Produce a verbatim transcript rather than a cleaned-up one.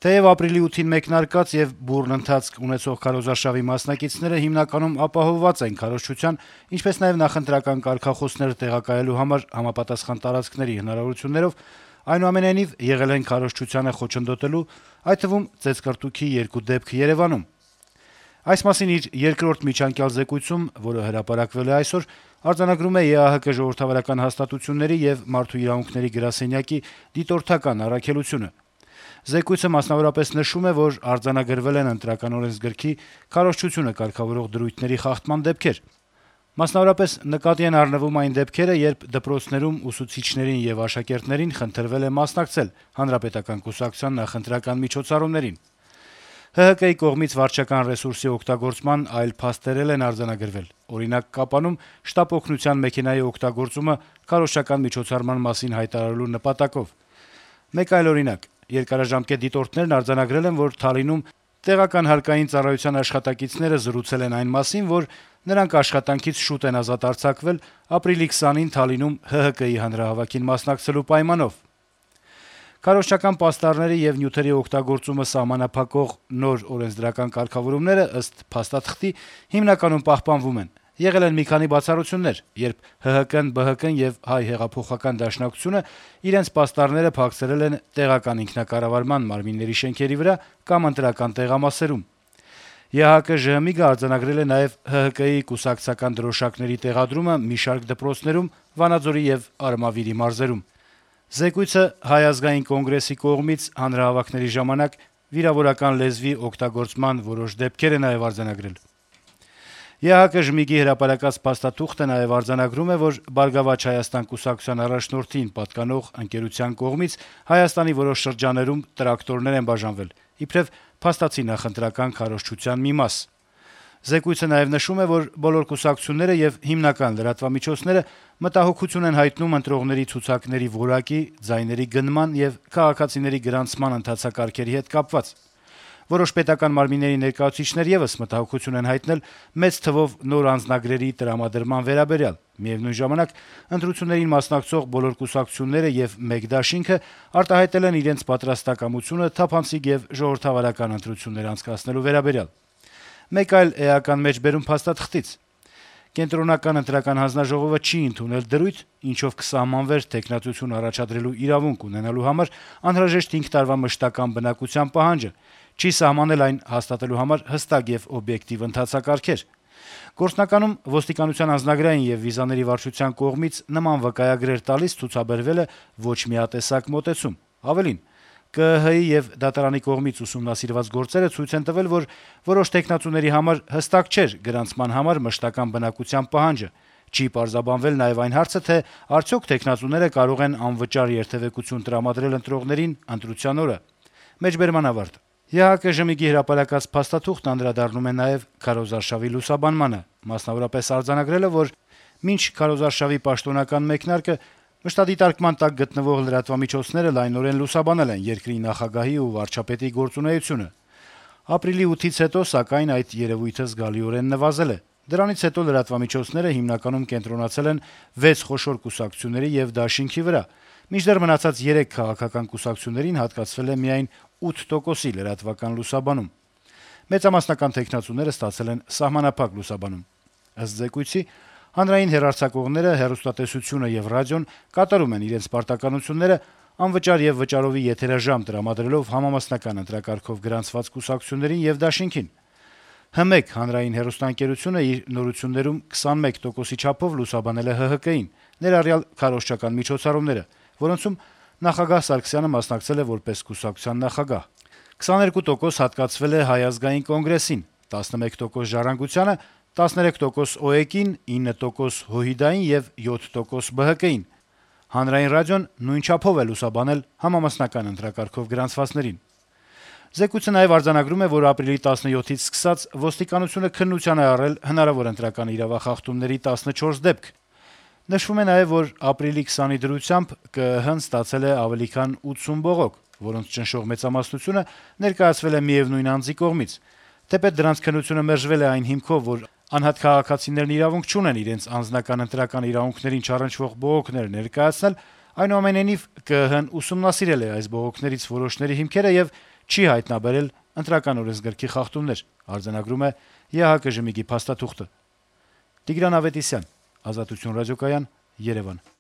Թեեւ ապրիլի ութին մեկնարկած եւ բուռն ընթացք ունեցող քարոզարշավի մասնակիցները հիմնականում ապահովված են քարոզչության, ինչպես նաեւ նախընտրական կարգախոսները տեղակայելու համար համապատասխան տարածքների հնարավորություններով, այնուամենայնիվ եղել են քարոզչությանը խոչընդոտելու, այդ թվում ծեծկռտուքի երկու դեպք Երեւանում։ Այս մասին իր երկրորդ միջանկյալ զեկույցում, որը հրապարակվել է այսօր, արձանագրում է ԵԱՀԿ ժողովրդավարական հաստատությունների եւ Մարդու իրավունքների գրասենյակի դիտորդական առաքելությունը։ Զեկույցը մասնավորապես նշում է, որ արձանագրվել են ընտրական օրենսգրքի քարոզչությունը կարգավորող դրույթների խախտման դեպքեր։ Մասնավորապես նկատի են առնվում այն դեպքերը, երբ դպրոցներում ուսուցիչներին եւ աշակերտներին խնդրվել է մասնակցել հանրապետական կուսակցության նախընտրական միջոցառումներին։ ՀՀԿ-ի կողմից վարչական ռեսուրսի օգտագործման այլ փաստեր են արձանագրվել։ Օրինակ, Կապանում շտապ օգնության մեքենայի օգտագործումը քարոզչական միջոցառման մասին հայտարարելու նպատակով։ Մեկ այլ օրինակ. երկարաժամկետ դիտորդներն արձանագրել են, որ Թալինում տեղական հարկային ծառայության աշխատակիցները զրուցել են այն մասին, որ նրանք աշխատանքից շուտ են ազատ արձակվել ապրիլի քսանին Թալինում ՀՀԿ-ի հանրահավաքին մասնակցելու պայմանով։ Քարոզչական պաստառների եւ նյութերի օգտագործումը սահմանափակող նոր օրենսդրական կարգավորումները ըստ փաստաթղթի հիմնականում պահպանվում են։ Եղել են մի քանի բացառություններ, երբ ՀՀԿ-ն, ԲՀԿ-ն եւ Հայ հեղափոխական դաշնակցությունը իրենց պաստառները փակցրել են տեղական ինքնակառավարման մարմինների շենքերի վրա կամ ընտրական տեղամասերում։ ԵԱՀԿ-ԺՀՄԻԳ-ը արձանագրել է նաեւ ՀՀԿ-ի կուսակցական դրոշակների տեղադրումը մի շարք դպրոցներում Վանաձորի եւ Արմավիրի մարզերում։ Զեկույցը Հայ ազգային կոնգրեսի կողմից հանրահավաքների ժամանակ վիրավորական լեզվի օգտագործման որոշ դեպքեր է նաեւ արձանագրել։ ԵԱՀԿ-ԺՄԻԳ-ի հրապարակած փաստաթուղթը նաեւ արձանագրում է, որ «Բարգավաճ Հայաստան» կուսակցության առաջնորդին պատկանող ընկերության կողմից Հայաստանի որոշ շրջաններում տրակտորներ են բաժանվել, իբրեւ փաստացի նախընտրական քարոզչության մի մաս։ Զեկույցը նաեւ նշում է, որ բոլոր կուսակցությունները եւ հիմնական լրատվամիջոցները մտահոգություն են հայտնում ընտրողների ցուցակների որակի, ձայների գնման եւ քաղաքացիների գրանցման ընթացակարգերի հետ կապված։ Որոշ պետական մարմինների ներկայացուցիչներ եւս մտահոգություն են հայտնել մեծ թվով նոր անձնագրերի տրամադրման վերաբերյալ։ Միևնույն ժամանակ ընտրություններին մասնակցող բոլոր կուսակցությունները եւ մեկ դաշինքը արտահայտել են իրենց պատրաստակամությունը թափանցիկ եւ ժողովրդավարական ընտրություններ անցկացնելու վերաբերյալ։ Մեկ այլ էական մեջբերում փաստաթղթից. Կենտրոնական ընտրական հանձնաժողովը չի ընդունել դրույթ, ինչով կսահմանվեր թեկնածություն առաջադրելու իրավունք ունենալու համար անհրաժեշտ հինգ տարվա մշտական բնակության պահանջը, չի սահմանել այն հաստատելու համար հստակ եւ օբյեկտիվ ընթացակարգեր։ Գործնականում ոստիկանության անձնագրային եւ վիզաների վարչության կողմից նման վկայագրեր տալիս ցուցաբերվել է ոչ միատեսակ մոտեցում։ Ավելին, ԿԸՀ-ի եւ դատարանի կողմից ուսումնասիրված գործերը ցույց են տվել, որ որոշ թեկնածուների համար հստակ չէր գրանցման համար մշտական բնակության պահանջը։ Չի պարզաբանվել նաեւ այն հարցը, թե արդյոք թեկնածուները կարող են անվճար երթեւեկություն տրամադրել ընտրողներին ընտրության օրը։ Մեջբերման ավարտ։ ԵԱՀԿ-ԺՄԻԳ-ի հրապարակած փաստաթուղթն անդրադառնում է նաեւ քարոզարշավի լուսաբանմանը, մասնավորապես արձանագրել է, որ մինչ քարոզարշավի պաշտոնական մեկնարկը մշտադիտարկման տակ գտնվող լրատվամիջոցները լայնորեն լուսաբանել են երկրի նախագահի ու վարչապետի գործունեությունը։ Ապրիլի ութից հետո, սակայն, այդ երևույթը զգալիորեն նվազել է։ Դրանից հետո լրատվամիջոցները հիմնականում կենտրոնացել են վեց խոշոր կուսակցությունների եւ դաշինքի վրա, մինչդեռ մնացած երեք քաղաքական կուսակցություններին հատկացվել է միայն ութ տոկոսի լրատվական լուսաբանում։ Մեծամասնական թեկնածուները ստացել են սահմանափակ լուսաբանում։ Ըստ զեկույցի, հանրային հեռարձակողները, հեռուստատեսությունը եւ ռադիոն կատարում են իրենց պարտականությունները անվճար եւ վճարովի եթերաժամ տրամադրելով համամասնական ընտրակարգով գրանցված կուսակցություններին եւ դաշինքին։ Հ-մեկ հանրային հեռուստաընկերությունը իր նորություններում քսանմեկ տոկոսի չափով լուսաբանել է ՀՀԿ-ին, ներառյալ քարոզչական միջոցառումները, որոնցում նախագահ Սարգսյանը մասնակցել է որպես կուսակցության նախագահ։ քսաներկու տոկոս հատկացվել է Հայ ազգային կոնգրեսին, տասնմեկ տոկոս Ժառանգությանը, տասներեք տոկոս ՕԵԿ-ին, ինը տոկոս ՀՅԴ-ին եւ յոթ տոկոս ԲՀԿ-ին։ Հանրային ռադիոն նույն չափով է լուսաբանել համամասնական ընտրակարգով գրանցվածներին։ Զեկույցը նաեւ արձանագրում է, որ ապրիլի տասնյոթից սկսած ոստիկանությունը քննության է առել հնարավոր ընտրական իրավախախտումների տասնչորս դեպք։ Նշվում է նաեւ, որ ապրիլի քսանի դրությամբ ԿԸՀ-ն ստացել է ավելի քան ութսուն բողոք, որոնց ճնշող մեծամասնությունը ներկայացվել է միևնույն անձի կողմից։ Թեպետ դրանց քննությունը մերժվել է այն հիմքով, որ անհատ քաղաքացիներն իրավունք չունեն իրենց անձնական ընտրական իրավունքներին չառնչվող բողոքներ ներկայացնել, այնուամենայնիվ ԿԸՀ-ն ուսումնասիրել է այս բողոքներից որոշների հիմքերը եւ չի հայտնաբերել ընտրական օրենսգրքի խախտումներ, արձանագրում է ԵՀԿ ժմիգի փաստաթուղթը։ Տիգրան Ավետիսյան, Ազատություն ռադիոկայան, Երեւան։